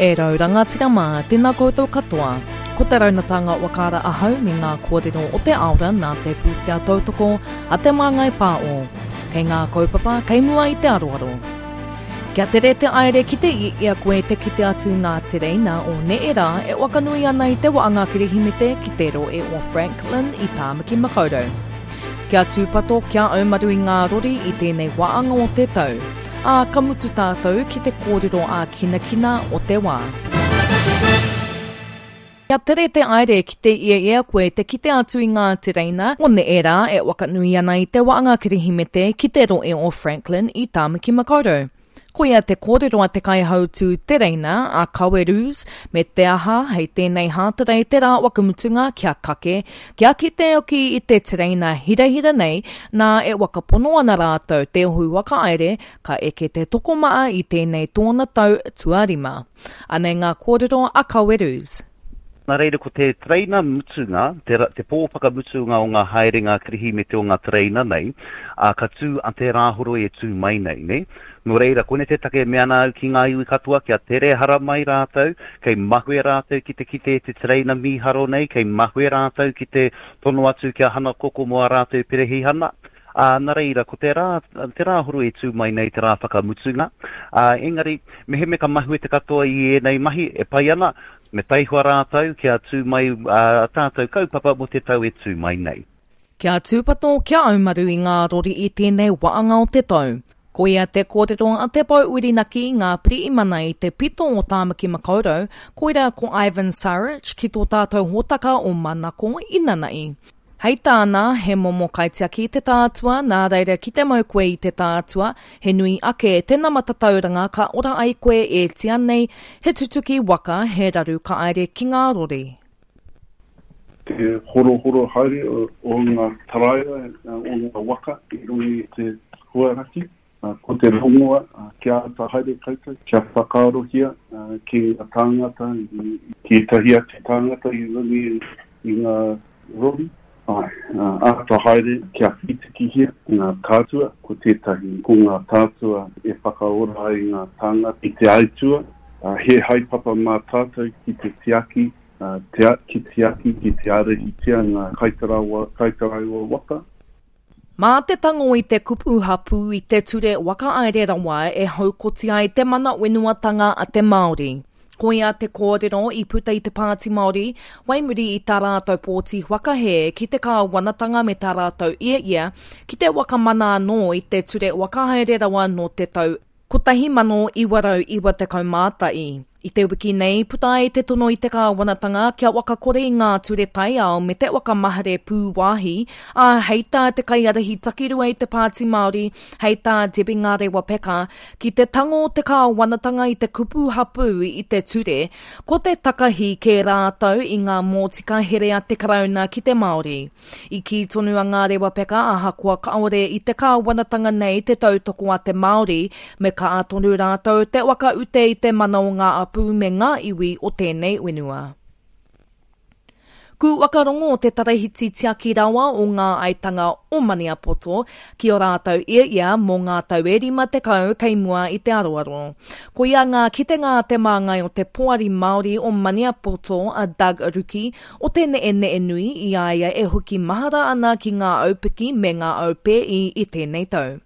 E rau rangatira mā, tēnā koutou katoa. Ko te raunatanga whakaara ahau me ngā kōrero o te aora nā te pūtea tautoko a Te Māngai Pāo. Kei ngā kaupapa kei mua i te aroaro. Kia tere te aere ki te i a koe te kite atu i ngā tereina o neherā e wakanui ana i te waanga Kirihimete ki te rohe o Franklin i Tāmaki Makaurau. Kia tūpato kia aumaru i ngā rori i tēnei waanga o te tau, ā, ka mutu tātou ki te kōrero ā-kinakina o te wā. Kia tere te aere ki te ieia koe te kite atu i ngā tereina o neherā e wakanui ana i te waanga Kirihimete ki te rohe o Franklin i Tāmaki Makaurau. Koia te kōrero a te kaihautū tereina, a Kawe Roos, me te aha, hei tēnei Hātarei te rā wakamutunga kia kake, kia kite hoki i te tereina hirahira nei, nā e wakapono ana rātou te ohu whakaere ka eke te tokomaha i tēnei tōna tau tuarima. Anei ngā kōrero a Kaweroos. Nā reira ko te tereina mutunga, te, te pō whakamutunga o ngā haerenga Kirihimete o ngā tereina nei, ā, ka tū a te Rāhoroi e tū mai nei, nē? Nō reira, koinei te take e mea ana au ki ngā iwi katoa kia tere haramai rātou, kei mahue rātou ki te kite i te tereina mīharo nei, kei mahue rātou ki te tono atu kia hana koko mō ā rātou perehihana. Ā, nā reira, ko te rā, te Rāhoroi e tū mai nei te rā whakamutunga, ā, engari, mehemea ka mahue te katoa i ēnei mahi, e pai ana, me taihoa rātou kia tū mai ā tātou kaupapa mō te tau e tū mai nei. Kia tūpato, kia aumaru i ngā rori i tēnei waanga o te tau. Koia te kōrero a Te Pou Whirinaki, ngā pirihimana i te pito o Tāmaki Makaurau, koira ko Ivan Saric ki tō tātou hōtaka o Manako inanahi. Hei tāna, he momo kaitiaki te tātua, nā reira ki te mau koe i te tātua, he nui ake te nama tatauranga ka ora ai koe e tia nei, he tutuki waka, he raru ka aere ki ngā rori. Te horohoro haere o ngā taraiwa, o ngā waka i runga i te huaraki. Ko te rongoa kia āta haere koutou, kia whakaarohia ki ngā tāngata, ki ētahi atu tāngata i runga i ngā rori. Āe, āta haere kia whītikihia ngā tātua, ko tētahi ko ngā tātua e whakaora ai ngā tāngata i te aitua, he haepapa mā tātou ki te tiaki, ki tiaki, ki te ārahitia ngā kaitaraiwa waka. Mā te tango i te kupu hapū i te ture whakahaere rawa e haukoti ai te mana whenuatanga a te Māori. Koia te kōrero i puta i te Pāti Māori whai muri i tā rātou pōti whakahē ki te kāwanatanga me tā rātou ia ki te whakamana anō i te ture whakahaere rawa nō te tau 1991. I te wiki nei, puta ai te tono i te kāwanatanga kia whakakore i ngā ture taiao me te whakamahere pūwāhi, ā, hei tā te kaiārahi takirua i te Pāti Māori, hei tā Debbie Ngarewa-Packer, ki te tango te kāwanatanga i te kupu hapū i te ture, ko te takahi kē rātou i ngā mōtika here a te Karauna ki te Māori. I kī tonu a Ngarewa Peka ahakoa kāore i te kāwanatanga nei te tautoko a te Māori, me kaha tonu rātou te whakaute i te mana o ngā apū me ngā iwi o tēnei whenua. Ku whakarongo te Tarahiti Tiaki Rawa o Ngā Aitanga o Maniapoto ki ō rātou ia mō ngā tau e 50 kei mua i te aroaro. Koia ngā kitenga a te māngai o te Poari Māori o Maniapoto a Doug Ruki o te neʻeneʻe nui i a ia e hoki mahara ana ki ngā aupiki me ngā aupēi i tēnei tau.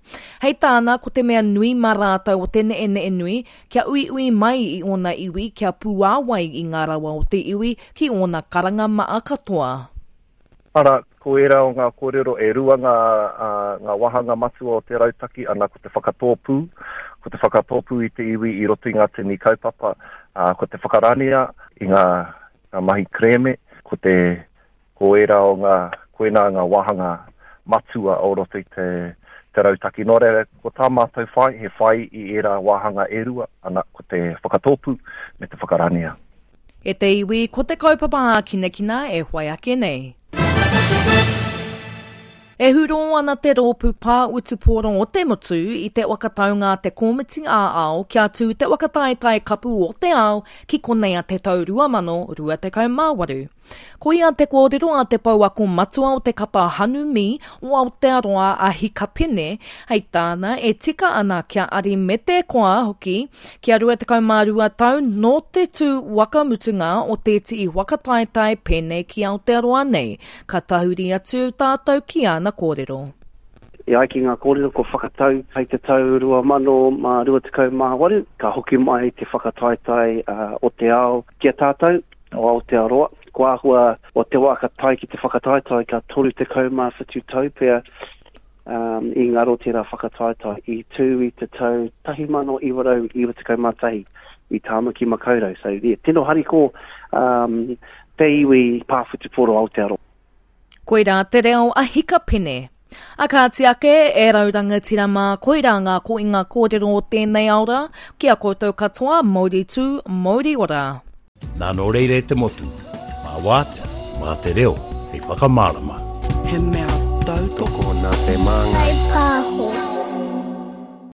Hei tāna, ko te mea nui mā rātou o te neʻeneʻe nui, kia uiui mai i ōna iwi kia pūāwai i ngā rawa o te iwi ki ōna karanga maa katoa. Arā, ko ērā o ngā kōrero e rua ngā, ngā wāhanga matua o te rautaki, ana ko te whakatōpū, ko te whakatōpū i te iwi i roto i ngā tini kaupapa, ā, ko te whakaranea i ngā, ngā mahi kerēme, ko te, ko ērā o ngā, koinā ngā wāhanga matua o roto i te, te rautaki. Nō reira, ko tā mātou whai, he whai i ērā wāhanga e rua, ana, ko te whakatōpū me te whakaranea. E te iwi, ko te kaupapa ākinakina e whai ake nei. E hurō ana te rōpū pā wutupōro o te motu i te whakataunga a te Kōmiti ā-Ao kia tū te whakataetae kapu o te ao ki konei a te tau 2028. Koia te kōrero a te pouako matua o te kapa Hanumi o Aotearoa a Hika Pene, hei tāna e tika ana kia ari me te koa hoki kia 22 tau nō te tū waka mutunga o tētihi waka taetae pēnei ki Aotearoa nei, ka tahuri atu tātou ki āna kōrero. E ai ki ngā kōrero kua whakatau hei te tau 2028 ka hoki mai te whakataetae o te ao ki a tātou o Aotearoa. Ko āhua o te wā ka tae ki te whakataetae ka 37 tau pea i ngaro tērā whakataetae i tū i te tau 1991 i Tāmaki Makaurau. So, yeah, tino hariko um, te iwi pā whutupōro Aotearoa. Koirā te reo a Hika Pene. A kāti ake, e rau rangatira mā, koirā ngā koinga kōrero o tēnei aora, ki a koutou katoa, mauri tū, mauri ora. Nā nō reira e te motu, mā wātea, mā te reo hei whakamārama. He mea tautoko. Tokona te māngai.